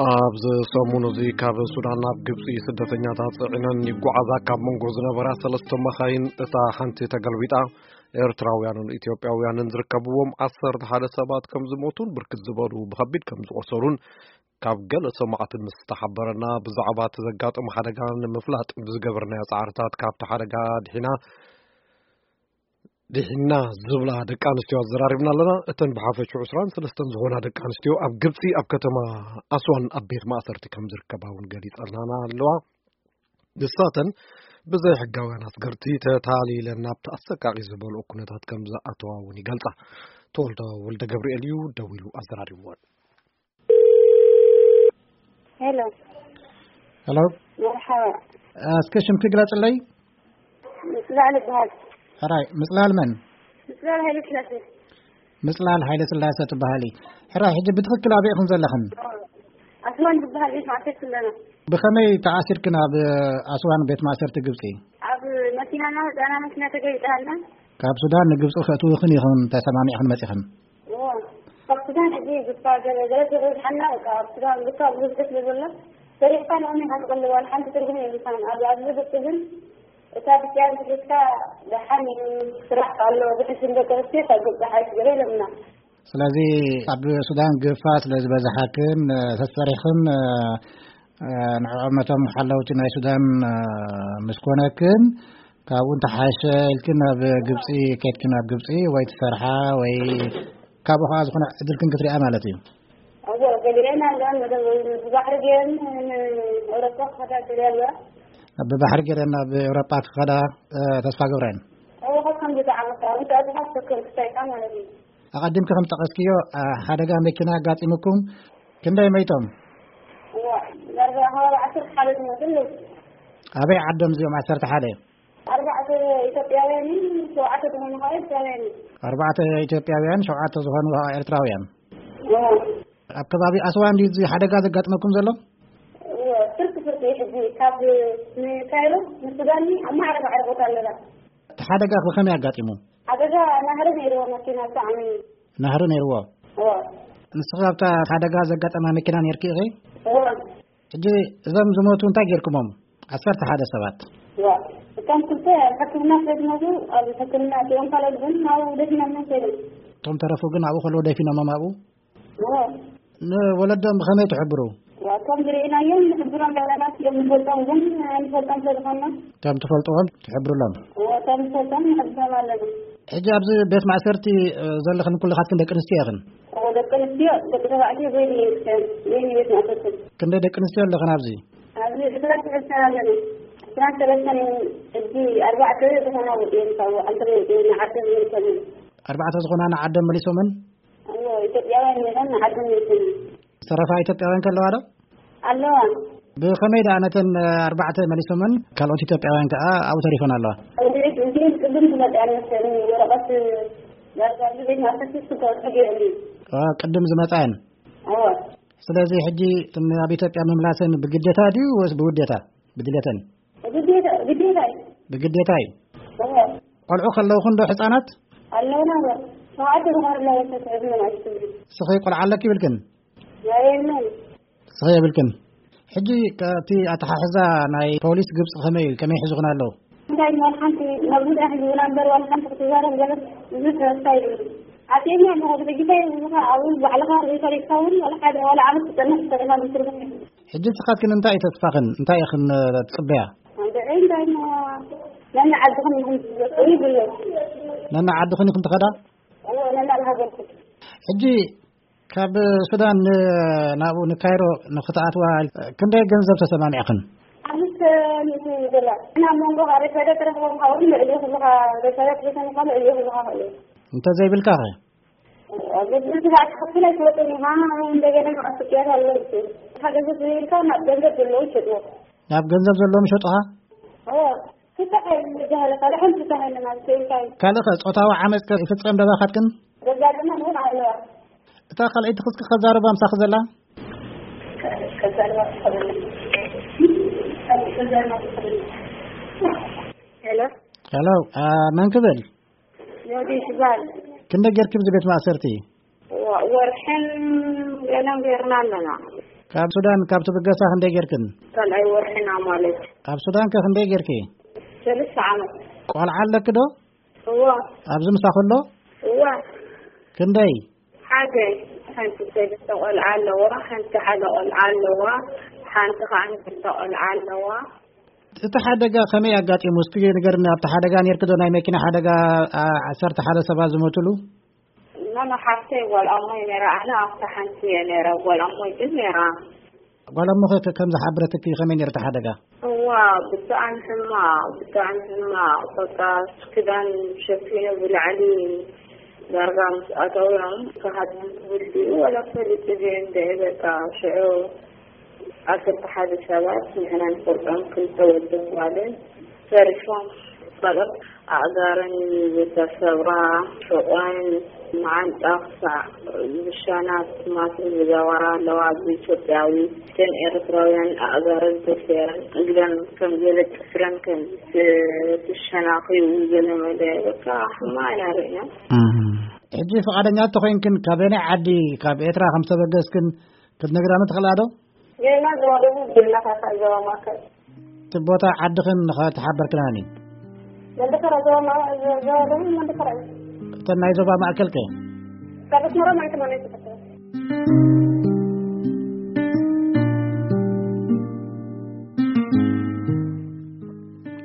ኣብዚ ሰሙን እዚ ካብ ሱዳን ናብ ግብጺ ስደተኛታት ጽዒነን ይጓዓዛ ካብ መንጎ ዝነበራ ሰለስተ መኻይን እታ ሓንቲ ተገልቢጣ፣ ኤርትራውያንን ኢትዮጵያውያንን ዝርከብዎም ዓሰርተ ሓደ ሰባት ከም ዝሞቱን ብርክት ዝበሉ ብኸቢድ ከም ዝቖሰሉን ካብ ገለ ሰማዕቲ ምስ ተሓበረና፣ ብዛዕባ እቲ ዘጋጠመ ሓደጋ ንምፍላጥ ብዝገበርናዮ ጻዕርታት ካብቲ ሓደጋ ድሒና ድሒና ዝብላ ደቂ ኣንስትዮ ኣዘራሪብና ኣለና። እተን ብሓፈሽኡ ዕስራን ሰለስተን ዝኾና ደቂ ኣንስትዮ ኣብ ግብጺ ኣብ ከተማ ኣስዋን ኣብ ቤት ማእሰርቲ ከም ዝርከባ እውን ገሊጸናና ኣለዋ። ንሳተን ብዘይ ሕጋውያን ኣስገርቲ ተታሊለን ናብቲ ኣሰቃቂ ዝበልኦ ኩነታት ከም ዝኣተዋ እውን ይገልጻ። ተወልደ ወልደ ገብርኤል እዩ ደዊሉ ኣዘራሪብወን። ሄሎ። ሄሎ። መርሓባ። እስከ ሽምኪ ግለጽለይ። ምጽላል ይበሃል። ሕራይ፣ ምጽላል መን? ምጽላል ሃይለ ስላሴ። ምጽላል ሃይለ ስላሴ ትበሃሊ። ሕራይ፣ ሕጂ ብትኽክል ኣበይ ኢኹን ዘለኽን? ኣስዋን ዝበሃል ቤት ማእሰርቲ ኣለና። ብኸመይ ተኣሲርክን ኣብ ኣስዋን ቤት ማእሰርቲ ግብጺ? ኣብ መኪናና ህፃና መኪና ተገይጣልና። ካብ ሱዳን ንግብጺ ከእትውኽን ኢኹን ተሰማሚዕኽን መጺኽን? እዎ። ካብ ሱዳን ሕጂ ግፋ ገለ ገለ ተበዝሓና፣ በቃ ኣብ ሱዳን ግፋ ብዙሕ ስለ ዘሎ፣ ሰሪሕካ ንቕድሚት ኢኻ ትቕልብ፣ ዋላ ሓንቲ ትርጉም የብልካን። ኣብ ኣብዚ ግብጺ ግን እታ ብጭያን ትሒዝካ ደሓን እዩ፣ ስራሕ ኣሎ፣ ዝሕሽን ደቂ ኣንስትዮ ካብ ግብጺ ሓይሽ ገለ ኢሎምና። ስለዚ ኣብ ሱዳን ግፋ ስለ ዝበዝሓክን፣ ተሰሪሕኽን፣ ንዕኦም ነቶም ሓለውቲ ናይ ሱዳን ምስ ኮነክን፣ ካብኡ እንተሓሸ ኢልክን ናብ ግብጺ ከድክን፣ ናብ ግብጺ ወይ ትሰርሓ ወይ ካብኡ ከኣ ዝኾነ ዕድልክን ክትሪኣ ማለት እዩ። እዎ፣ ገሊአን ኣለዋን መደብ ብባሕሪ ገይረን ንኤውሮጳ ክኸዳ ገሊአ ኣለዋ። ብባሕሪ ገይረን ናብ ኤውሮጳ ክኸዳ፣ እ፣ ተስፋ ገብረን። እዎ፣ ካብ ከምዚ ዝዓመታ፣ እንታይ ዝሓሰብክን ክሳይካ ማለት እዩ። ኣቐዲምኪ ከም ጠቐስክዮ፣ እ፣ ሓደጋ መኪና ኣጋጢሙኩም፣ ክንደይ መይቶም? እዎ፣ ዳርጋ ከባቢ ዓሰርተ ሓደ ዝመስል። ኣበይ ዓዶም እዚኦም ዓሰርተ ሓደ? ኣርባዕተ ኢትዮጵያውያን፣ ሸውዓተ ዝኾኑ ከዓ ኤርትራውያን። ኣርባዕተ ኢትዮጵያውያን፣ ሸውዓተ ዝኾኑ ከዓ ኤርትራውያን። እዎ። ኣብ ከባቢ ኣስዋን ድዩ እዚ ሓደጋ ዘጋጥመኩም ዘሎ? እዎ፣ ፍርቂ ፍርቂ እዩ። ሕጂ ካብ ንካይሮ ንሱዳን ኣብ ማዕረ ማዕረ ቦታ ኣለና። እቲ ሓደጋ ከ ከመይ ኣጋጢሙ? ሓደጋ ናህሪ ነይርዎ፣ መኪና ብጣዕሚ። ናህሪ ነይርዎ? እዎ። ንስኺ ኣብታ ሓደጋ ዘጋጠማ መኪና ነይርኪ ኢኺ? እዎ። ሕጂ እዞም ዝሞቱ እንታይ ጌርኩሞም? ዓሰርተ ሓደ ሰባት። እዋ፣ እቶም ክልተ ኣብ ሕክምና ስለ ዝመቱ ኣብ ሕክምና እቲኦም፣ ካልኦት ግን ናብኡ ደፊኖሞም ከይዶም። እቶም ተረፉ ግን ኣብኡ ከለዉ ደፊኖሞም ኣብኡ? እዋ። ንወለዶም ብኸመይ ትሕብሩ? እዋ፣ እቶም ዝርኢናዮም ንሕብሮም ኣለና፣ እቲኦም ንፈልጦም ግን ኣይንፈልጦም ስለ ዝኾንና። እቶም ትፈልጥዎም ትሕብሩሎም? እዋ፣ እቶም ንፈልጦም ንሕብሮም ኣለና። ሕጂ ኣብዚ ቤት ማእሰርቲ፣ እ፣ ዘለኽን ኩልኻትክን ደቂ ኣንስትዮ ኢኽን? እዎ፣ ደቂ ኣንስትዮ፣ ደቂ ተባዕትዮ በይኑ እዩ፣ በይኑ ቤት ማእሰርቲ። ክንደይ ደቂ ኣንስትዮ ኣለኽን ኣብዚ? ኣብዚ ዕስራን ሰለስተን ኣለና። ዕስራን ሰለስተን፣ ሕጂ ኣርባዕተ ዝኾና ወፂኤን፣ ካብኡ ዓንተን ወፂኤን ንዓደን መሊሰን። ኣርባዕተ ዝኾና ንዓደን መሊሶመን? እዎ፣ ኢትዮጵያውያን ነይረን ንዓደን መሊሰን። ዝተረፋ ኢትዮጵያውያን ከ ኣለዋ ዶ? ኣለዋ። ብኸመይ ደኣ ነተን ኣርባዕተ መሊሶመን፣ ካልኦት ኢትዮጵያውያን ከኣ ኣብኡ ተሪፈን ኣለዋ? እንግዲህ እዚኤን ቅድም ዝመፅኣን መሰለኒ፣ ወረቐት ዳርጋ ኣብዚ ቤት ማእሰርቲ ክገብሩ ገይሮም እዩ። አ፣ ቅድም ዝመፅኣን? እዎ። ስለዚ ሕጂ እተን ኣብ ኢትዮጵያ ምምላሰን ብግዴታ ድዩ ወይስ ብውዴታ? ብድሌተን? ግዴታ፣ ግዴታ እዩ። ብግዴታ እዩ። እዎ። ቆልዑ ከለውኹን ዶ ሕፃናት? ኣለውና እዎ። ሸውዓተ ዝኾኑ ኣለዉ፣ ተስዕብ ምን ኣይትብሉ። እስኺ ቆልዓ ኣለኪ ይብልክን? የብለይን። እስኺ የብልክን። ሕጂ ከ-፣ እቲ ኣተሓሕዛ ናይ ፖሊስ ግብጺ ከመይ እዩ? ከመይ ሒዙኽን ኣለዉ? እንታይ ዋላ ሓንቲ መጉዳ ሒዙና እምበር ዋላ ሓንቲ ክትዛረብ ገለ ብዙሕ ተስፋ የብሉን። ኣትየኛ ኣለኹ፣ ብሕጂ እንታይ ይብሉኻ? ኣብኡ ባዕልኻ ሪፈር ኢልካ እውን ዋላ ሓደ ዋላ ዓመት ትጸንሕ ትኽእል ኢኻ፣ ብትርጉም የብሉን። ሕጂ ንስኻትክን እንታይ እዩ ተስፋኽን? እንታይ ኢኽን፣ እ፣ ትጽበያ? ንዕይ እንታይ እሞ ነኒ ዓድኽን ኢኹም ትዘክሩ ይብሉ። ነኒ ዓድኽን ኢኹም ትኸዳ? እዎ፣ ነኒ ኣብ ሃገርኩም። ሕጂ ካብ ሱዳን ን-፣ ናብኡ ንካይሮ ንክትኣትዋ ክንደይ ገንዘብ ተሰማሚዕኽን? ሓሙሽተ ሚእቲ ዶላር። እና ኣብ መንጎ ሬሳዳ ትረኽቦም ካብኡ ልዕሊ ኩልኻ ሬሳዳ ትረኽቦም ካብ ልዕሊ ኩልኻ ክእሉ። እንተዘይብልካ ኸ? ኣብ ግድን ስራሕ ክኸፍል ኣይትወጥን ኢኻ። እንደገና መቐስቅያት ኣለዉ። እታ ገንዘብ ዘይብልካ ናብ ገንዘብ ዘለዉ ይሸጥዎ። ናብ ገንዘብ ዘለዎም ይሸጡኻ? እዎ። ክሳዕ ዝበሃለ ካልእ ሓንቲ እንታይ ኣለና? እንታይ ካልእ ኸ ጾታዊ ዓመጽ ከ ይፍጸም ደባኻትክን? ዘጋጥመን እውን ኣለዋ። እታ ካልኣይቲ ክስኪ ከዛርባ ምሳኺ ዘላ? ሄሎ። ሄሎ፣ አ፣ መን ክብል? ዮዲት ይባል። ክንደ ጌርኪ ኣብዚ ቤት ማእሰርቲ? ወ-፣ ወርሕን ገለን ጌርና ኣለና። ካብ ሱዳን፣ ካብ ትብገሳ ክንደይ ጌርክን? ካልኣይ ወርሕና ማለት። ኣብ ሱዳን ከ ክንደይ ጌርኪ? ሰለስተ ዓመት። ቆልዓ ኣለኪ ዶ? እዋ። ኣብዚ ምሳኺ ኣሎ? እዋ። ክንደይ? ሓደ። ሓንቲ ሰለስተ ቆልዓ ኣለዋ፣ ሓንቲ ሓደ ቆልዓ ኣለዋ፣ ሓንቲ ከዓ ክልተ ቆልዓ ኣለዋ። እቲ ሓደጋ ከመይ ኣጋጢሙ? እስኪ ንገርኒ። ኣብቲ ሓደጋ ኔርኪ ዶ? ናይ መኪና ሓደጋ፣ አ፣ ዓሰርተ ሓደ ሰባት ዝሞትሉ? ኖ፣ ኖ፣ ሓፍተይ ጓል ኣሞይ ነይራ፣ ኣነ ኣብታ ሓንቲ እየ ነይረ፣ ጓል ኣሞይ ግን ነይራ። ጓል ኣሞኺ ከ-፣ ከም ዝሓበረትኪ ከመይ ነይሩ እቲ ሓደጋ? እዋ፣ ብጣዕሚ ሕማቕ፣ ብጣዕሚ ሕማቕ። በቃ፣ ክዳን ሸፊኑ ብላዕሊ ዳርጋ ምስ ኣተውዮም፣ ክሃድም ክብል ድዩ ወላ ፈሊጡ ድዩ እንድዒ፣ በቃ፣ ሽዑ ዓሰርተ ሓደ ሰባት፣ ንሕና ንፈልጦም ክልተ ወድን ጓልን ተሪፎም። ካልኦት ኣእጋረን ዝተሰብራ፣ ሕቖን፣ መዓንጣ ክሳዕ ብሻና ትማስል ዝገበራ ኣለዋ። ብኢትዮጵያዊ፣ እተን ኤርትራውያን ኣእጋረን ተሰይረን፣ እግረን ከም ገለ ጥፍረን ከም ዝሸናኽዩ ገለ መለ፣ በቃ፣ ሕማቕ ኢና ርኢና። እም። ሕጂ ፍቓደኛ እንተኾይንክን፣ ካበየናይ ዓዲ፣ ካብ ኤርትራ ከም ዝተበገስክን ክትነግራኒ ትኽእላ ዶ? ጌና ዞባ ደቡብ፣ ጌና ካሳ ዞባ ማእከል። እቲ ቦታ ዓድኽን ንኸተሓበርክናኒ። መንደፈራ ዞባ ማ-፣ ዞባ ደቡብ መንደፈራ እዩ። እተን ናይ ዞባ ማእከል ከ? ካብ ኣስመራ ማይ ተማንያ ተፈጠረ።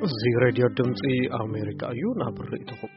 እዚ ሬድዮ ድምፂ ኣሜሪካ እዩ። ናብ ርእይቶኹም